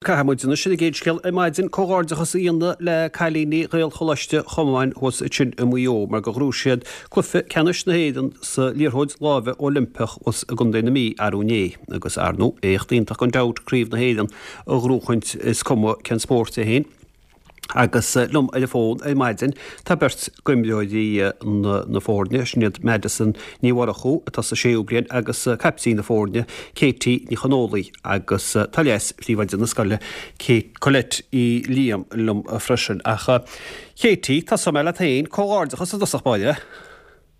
Caithfidh muid anois ar an gcéad scéal ar maidin, comhghairdeachas a dhéanamh le cailíní Ghaelcholáiste Chomáin thuas ansin i Maigh Eo mar gur ghnóthaigh siad cluiche ceannais na hÉireann sa liathróid láimhe Oilimpeach thuas i gContae na Mí arú inné. Agus ar ndóigh, éacht iontach gan dabht Craobh na hÉireann a ghnóchaint is cuma cén spórt é féin. Agus liom ar an bhfón ar maidin tá beirt d'imreoirí na foirne, sin iad Madison Ní Mhurchú atá sa séú bliain agus caiptín na foirne, Katie Ní Chonfhaola agus tá leas-phríomhoide na scoile, Colette Uí Liam liom freisin. Ach Katie, tosóidh mé leat féin, comhghairdeachas i dtosach báire.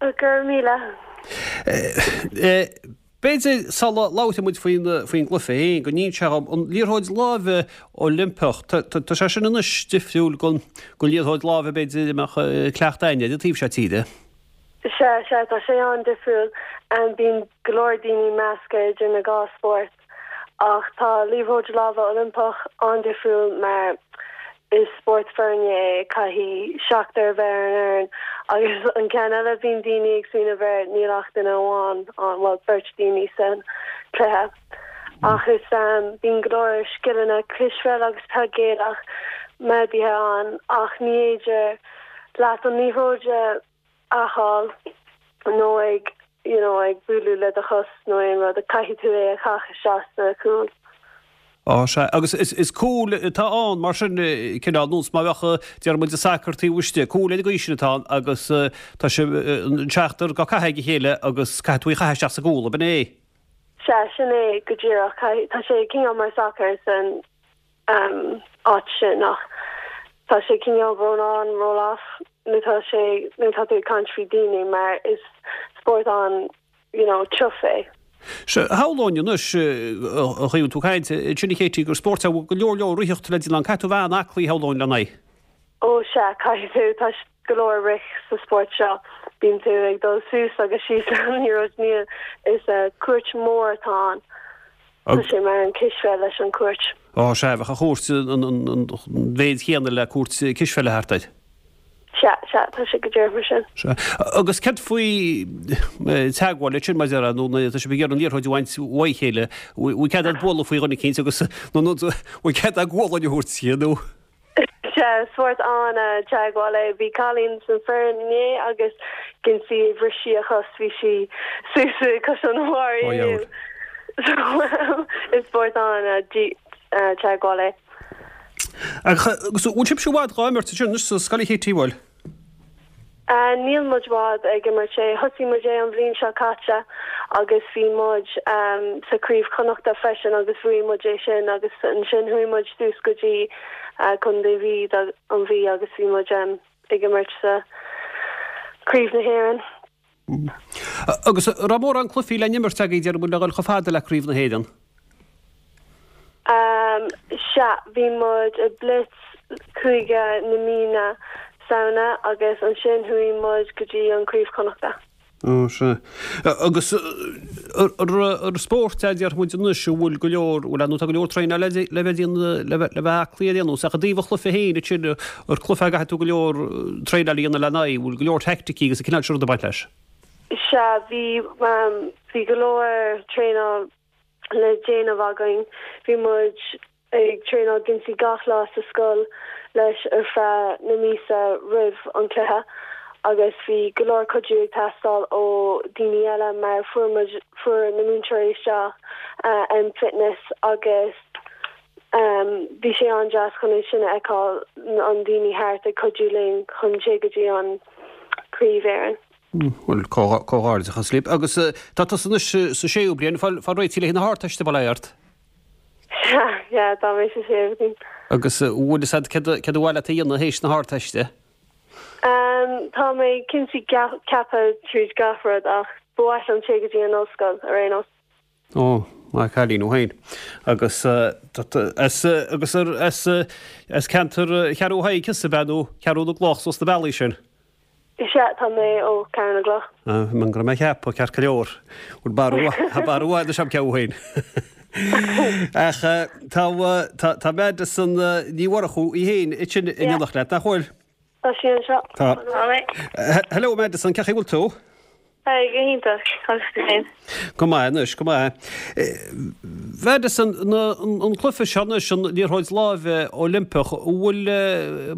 Go raibh míle. B'fhéidir, sula labhróidh muid faoin gcluiche féin, go n-inseofá dhom, an liathróid láimhe Oilimpeach, tá sé sin anois difriúil den liathróid láimhe b'fhéidir a mbeadh cleachtadh againne ar an taobh seo tíre? Sea, sea, tá sé an-difriúil. Bíonn go leor daoine measctha idir na dhá spórt. Ach tá liathróid láimhe Oilimpeach an-difriúil mar is spórt foirne é, caithfidh seachtar a bheith ar an fhoireann agus an ceann eile bíonn daoine ag smaoineamh air níl ach duine amháin ann, bhuel beirt daoine san cluiche. Ach is bíonn go leor scileanna cispheil agus peil Gaelach méadaithe ann ach ní fhéidir leat an liathróid a fháil nó ag you know ag bualadh le do chos nó aon rud, caithfidh tú é a chaitheamh isteach sa chúl. Á sea, agus is cúl atá ann mar sin, cineál nós mar bheadh, déarfaidh muid, i sacar taobh istigh, cúl ar an gcaoi sin atá ann agus tá sé an seachtar á caitheamh ag a chéile agus caithfidh tú í a chaitheamh isteach sa gcúl, ab in é? Sea, sin é go díreach, caithfidh, tá sé cineál mar sacar san áit sin ach tá sé cineál roll on, roll off nuair tá sé, nuair tá tú ag caint faoi daoine mar is spórt an, you know, tiubh é. Sea, shamhlóinn anois, a chaoi a bhfuil tú ag caint, ansin a Katie, gur spórt é a bhfuil go leor leor ritheacht le déanamh ann. Caithfidh tú a bheith an-aclaí, shamhlóinn, lena aghaidh. Ó sea, caithfidh tú, tá go leor rith sa spórt seo. Bíonn tú ag dul suas agus síos an liathróid, níl, is cúirt mór atá ann. Tá sé mar an cispheil leis an cúirt. Ó sea, bheadh an chúirt an mhéid chéanna le cúirt cispheile thart air. Sea, sea, tá sé go díreach mar sin. Sea. Agus céard faoi teagmháil ansin, mar a déarfá, nó nuair atá sibh ag iarraidh an liathróid a bhaint uaidh a chéile, bhfuil cead agat bualadh faoi dhuine eicínt agus nó bhfuil cead agat gualainn a thabhairt di nó? Sea, spórt an-teagmháil é. Bhí cailín san foireann inné agus dhein sí, bhris sí a chos, bhí sí suas i cois an bhairr inniu. So is spórt an-teagmháil é. Agus bhfuil sibhse i bhfad dhá imirt ansin anois sa scoil a Katie, bhfuil? Níl muid i bhfad ag imirt é. Thosaigh muid é an bhliain seo caite agus bhí muid sa Craobh Chonnachta freisin agus bhuaigh muid é sin agus ansin chuaigh muid suas go dtí Contae Mhí, an Mhí agus bhí muid ag imirt sa Craobh na hÉireann. Agus an raibh mórán cluichí le n-imirt agaibh déarfaidh muid le dhul chomh fada le Craobh na hÉireann? Sea, bhí muid i Blitz Cúige na Mí na Samhna agus ansin chuaigh muid go dtí an Craobh Chonnachta. Ó, sea. Agus ar spórt é déarfaidh muid anois a bhfuil go leor, bhuel ar ndóigh tá go leor traenála le bheith le bheith aclaí ar aon nós, ach i dtaobh an chluiche féin ansin, ar cluiche é a gcaithfidh tú go leor traenála a dhéanamh lena aghaidh, bhfuil go leor teaicticí agus an cineál sin rud ag baint leis? Sea, bhí, bhí go leor traenáil le déanamh againn. Bhí muid ag traenáil geansaí gach lá sa scoil leis ar feadh na míosa roimh an cluiche agus bhí go leor cuidiú ag teastáil ó daoine eile mar fuair muid, fuair na múinteoirí isteach M Fitness agus bhí sé an-deas chun é sin a fheiceáil, an daoine thart ag cuidiú linn chun téigh go dtí an Craobh Éireann. Bhuel, comhghairdeachas libh. Agus tá tusa anois sa séú bliain, fáil réitithe le haghaidh na hArdteiste, bail ó Dhia ort. Sea, yeah, tá mé sa séú bliain. Agus bhfuil fhios agat céard céard ba mhaith leat a dhéanamh théis na hArdteiste? Tá mé cinnte ceaptha tríd gach rud ach ba mhaith liom téigh go dtí an ollscoil ar aon nós. Ó, maith an cailín thú féin. Agus as agus as as ceantar Cheathrú Thaidhg thusa ab ea nó Ceathrú na gCloch suas na bealaí sin? Sea, tá mé ó Ceathrú na gCloch. Ah, mar go raibh mé ag ceapadh, ceart go leor. Bhuel, barú, tá barú mhaith anois agam ceapadh féin. Ach tá, tá, tá Madison Ní Mhurchú í féin ansin in éineacht leat, nach bhfuil? Tá sí anseo. Tá. Hello Madison, cén chaoi a bhfuil tú? Hi, go hiontach, agus tú féin? Go maith anois, go maith. Mhadison, an cluiche seo anois, an liathróid láimhe Oilimpeach, an bhfuil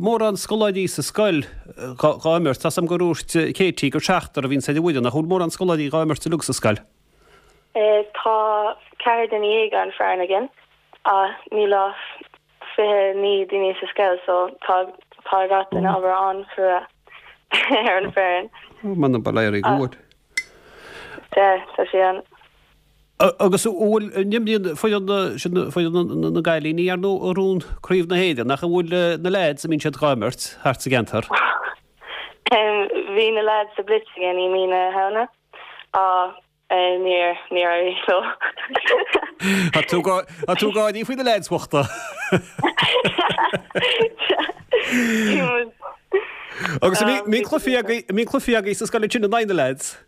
mórán scoláirí sa scoil dhá imirt? Tá's agam gur dhúirt Katie gur seachtar a bhíonns ar an bhfoireann, ach an bhfuil mórán scoláirí dhá imirt uilig sa scoil? Tá 14 duine ar an foireann againn ach níl ach 29 duine sa scoil so tá tá gach duine obair an-chrua ar an foireann. M'anam bail éirí go bhfuil. Sea, tá sé an. Agus an bhfuil, an imríonn foireann, sin foireann na gcailíní ar ndóigh a ghnóthaigh Craobh na hÉireann, ach an bhfuil na leaids, an mbíonn siad dhá imirt thart sa gceantar? Bhí na leaids sa Blitz againn i mí na Samhna ach níor, níor éirigh leo. Tá tú, tá tú ag gáirí faoi na leaids bhochta. Bhí muid. Agus an mbíonn cluichí agaibh, an mbíonn cluichí agaibh sa scoil ansin in aghaidh na leaids?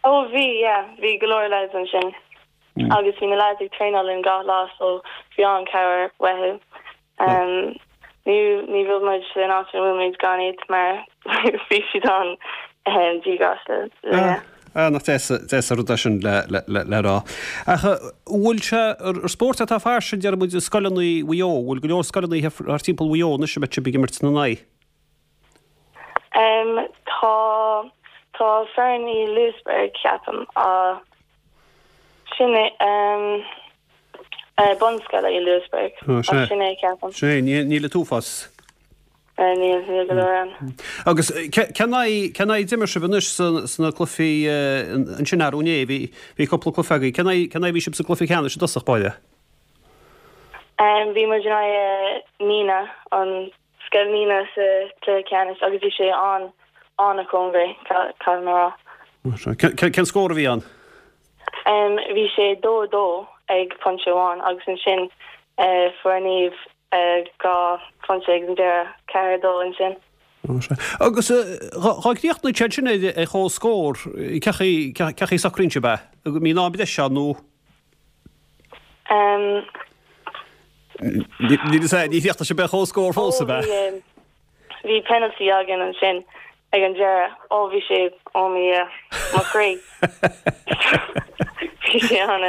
Ó bhí, yeah, bhí go leor lads ansin agus bhí na lads ag traenáil linn gach lá so bhí an-cabhair uathu. Um, ní ní bheadh muid san áit ina bhfuil muid gan iad mar bhí siad an um, díograiseach linne. Ah, nach deas, deas an rud é sin le, le, le, le rá. Ach an bhfuil sé, ar spórt atá fairsing, deir muid, i scoileanna Mhaigh Eo, bhfuil go leor scoileanna thart timpeall Mhaigh Eo anois a mbeidh sibh ag imirt ina n-aghaidh? Em, tá, tá foireann i Louisburgh, ceapaim, ach sin é, em, eh, bunscoile i Louisburgh, Ó, ach sea. sin é, ceapaim. Sin é, níl, níl an t-uafás. Eh, níl, níl go leor ann. Agus ce, cén aghaidh, cén aghaidh a d'imir sibh anois sa, sna cluichí, eh, ansin arú inné, bhí, bhí cúpla cluiche agaibh, cén aghaidh, cén aghaidh a bhí sibh sa gcluiche ceannais i dtosach báire? Em, bhí muid in aghaidh, eh, Nenagh, an Scoil Nenagh sa chluiche ceannais agus bhí sé an an-chóngarach, caithfidh mé a rá. Cén scór a bhí ann? Bhí sé 2 2 ag pointe amháin agus ansin fuair Niamh 2 phointe ag an deireadh, 4 2 ansin. Agus dhá gcríochnaíonn sé ansin ar chomhscór, cén chaoi a socraíonn sibh é? An mbíonn am breise ann nó? Ní chríochnaigh sibh ar chomhscór fós, ab ea? Bhí penalty againn ansin ag an deireadh. Ó bhí sé, ó mo Dhia, mo chroí. Bhí sé an,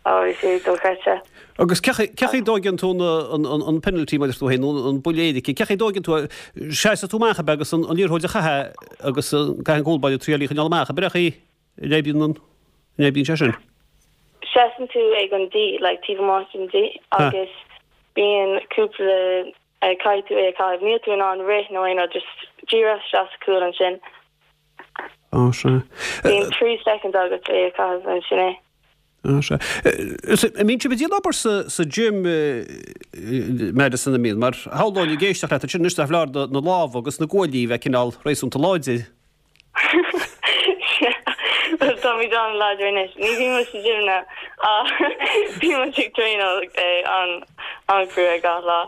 ó bhí sé dochreidte. Agus cén chaoi a dtóigeann tú an penalty mar a deir tú féin, nó an buille éirice, cén chaoi a dtóigeann tú é? Seasann tú amach ab ea agus an liathróid a chaitheamh agus caithfidh an cúl báire triail í a choinneáil amach, ab ea chaoi? An oibríonn an, an oibríonn sé sin? Seasann tú ag an D, like taobh amuigh den D agus bíonn cúpla, caithfidh tú é a chaitheamh. Níl tú in ann rith nó aon rud, just díreach isteach sa chúl ansin. Á, sea. Bíonn 3 seconds agat é a chaitheamh and sin é. Á, sea. An mbíonn sibh ag déanamh obair sa, sa gym, Madison, an mbíonn? Mar shamhlóinn ag éisteacht leat ansin anois nach foláir na lámha agus na guaillí a bheith cineál réasúnta láidir. Bhuel, táimid an-láidir anois. Ní bhíonn muid sa gym now ach bíonn muid ag traenáil an-chrua gach lá.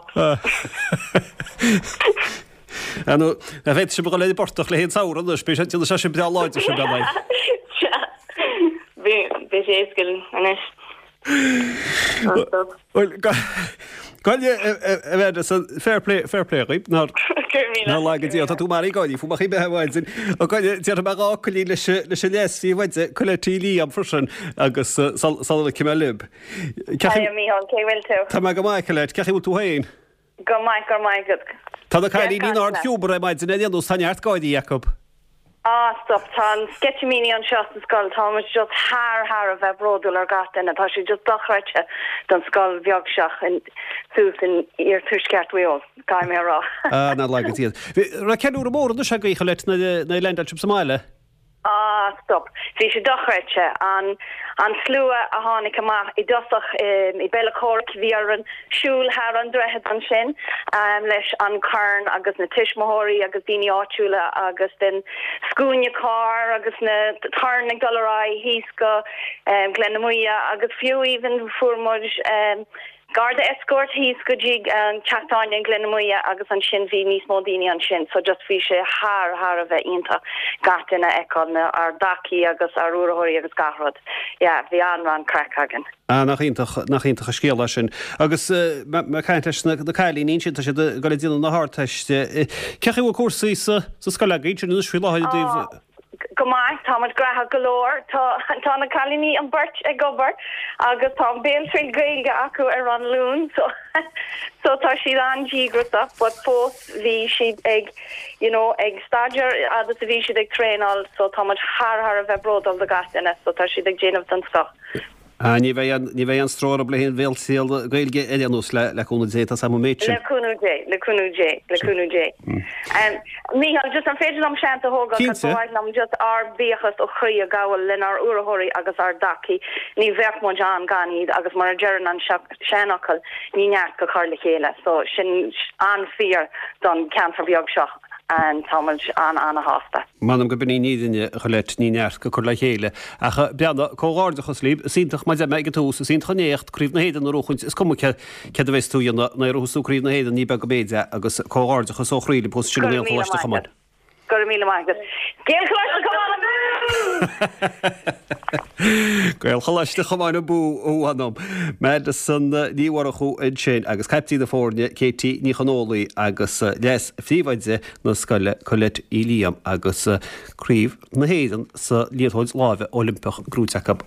Ar ndóigh, nach bhféadfadh sibh a dhul ar an bportach le haghaidh an samhradh anois, beidh sé, déanfaidh sé sin breá láidir sibh, ar ndóigh. Sea, beidh sé éasca anois. Bhuel, a Mhadison, fair play, fair play dhaoib, nár nár laga Dia, tá tú maraithe ag gáirí fúm ach í mbeith amháin. Ó gabh i leith, déarfaidh mé dá fhocailín leis leis an leas-phríomhoide, Colette Uí Liam freisin, agus sula ligfidh mé libh. Hiya Mícheál, cén chaoi bhfuil tú? Tá mé go maith, Colette, cén chaoi bhfuil tú féin? Go maith, go raibh maith agat. Tá na cailíní in ard-ghiúmar ar maidin ar aon nós, tá neart gáirí acu. Ah stop, tá an sceitimíní anseo sa scoil, tá muid just thar thar a bheith bródúil ar gach duine, tá sé just dochreidte don scoil bheag seo in suas in iarthuaisceart Mhaigh Eo, caithfidh mé a rá. Ah, nár laga Dia. Raibh ceiliúradh mór anois agaibh, Colette, nuair a leaindeáil sibh sa mbaile? Ah stop. Bhí sé dochreidte. An an slua a tháinig amach i dtosach i Bellacorick, bhí orainn siúl thar an droichead ansin leis an corn agus na tuismitheoirí agus daoine áitiúla agus then scuaine carr agus na torann ag dul ar aghaidh thíos go Gleann na Muaidhe agus fiú even fuair muid Garda escort thíos go dtí an teach tábhairne in Gleann na Muaidhe agus ansin bhí níos mó daoine ansin so just bhí sé thar thar a bheith iontach gach duine a fheiceáil, na ár dtacaí agus ár urraitheoirí agus gach rud. Yeah, bhí an-an-craic againn. Ah, nach iontach, nach iontach an scéal é sin. Agus mé ag caint leis na cailíní ansin, tá siad ag dul ag déanamh na hArdteiste. Cén chaoi a bhfuil cúrsaí sa scoil agaibh ansin anois faoi láthair i dtaobh. Ah. Go maith, tá muid graitheach go leor. Tá tá na cailíní an beirt ag obair agus tá an béaltriail Gaeilge acu ar an Luan so so tá siad an-díograiseach but fós bhí siad ag you know ag staidéar fhad is a bhí siad ag traenáil so tá muid thar thar a bheith bródúil de gach duine so tá siad ag déanamh den scoth. Ah, ní bheidh aon, ní bheidh aon stró orthu le haon bhéaltriail Gaeilge ar aon nós, le, le cúnamh Dé, tá 's agam an méid sin. Le cúnamh Dé, le cúnamh Dé, le cúnamh Dé. Mícheál, just an féidir liom seans a thógáil, Cinnte. ba mhaith liom just ár bhuíochas ó chroí a ghabháil lenár urraitheoirí agus ár dtacaí. Ní bheadh muid ann gan iad agus mar a deireann an seanfhocal, ní neart go cur le chéile. So sin an-fhíor don ceantar beag seo. and tá muid an-an-shásta. M'anam go b'in í an fhírinne, a Cholette, ní neart go cur le chéile. Ach breathnaigh, comhghairdeachas libh, is iontach, mar a deir mé ag an tús, is iontach an éacht, Craobh na hÉireann a bhuachaint, is cuma céard a bheas tú a dhéanamh, nuair a bhuafas tú Craobh na hÉireann, ní beag an méid é, agus comhghairdeachas ó chroí libh thuas ansin i nGaelcholáiste Chomáin. Go raibh míle maith agat. Gaelcholáiste Chomáin abú! Gaelcholáiste Chomáin abú, a mh'anam. Madison Ní Mhurchú ansin agus caiptín na foirne Katie Ní Chonfhaola agus leas-phríomhoide na scoile Colette Uí Liam agus Craobh na hÉireann sa liathróid láimhe Oilimpeach gnóite acu.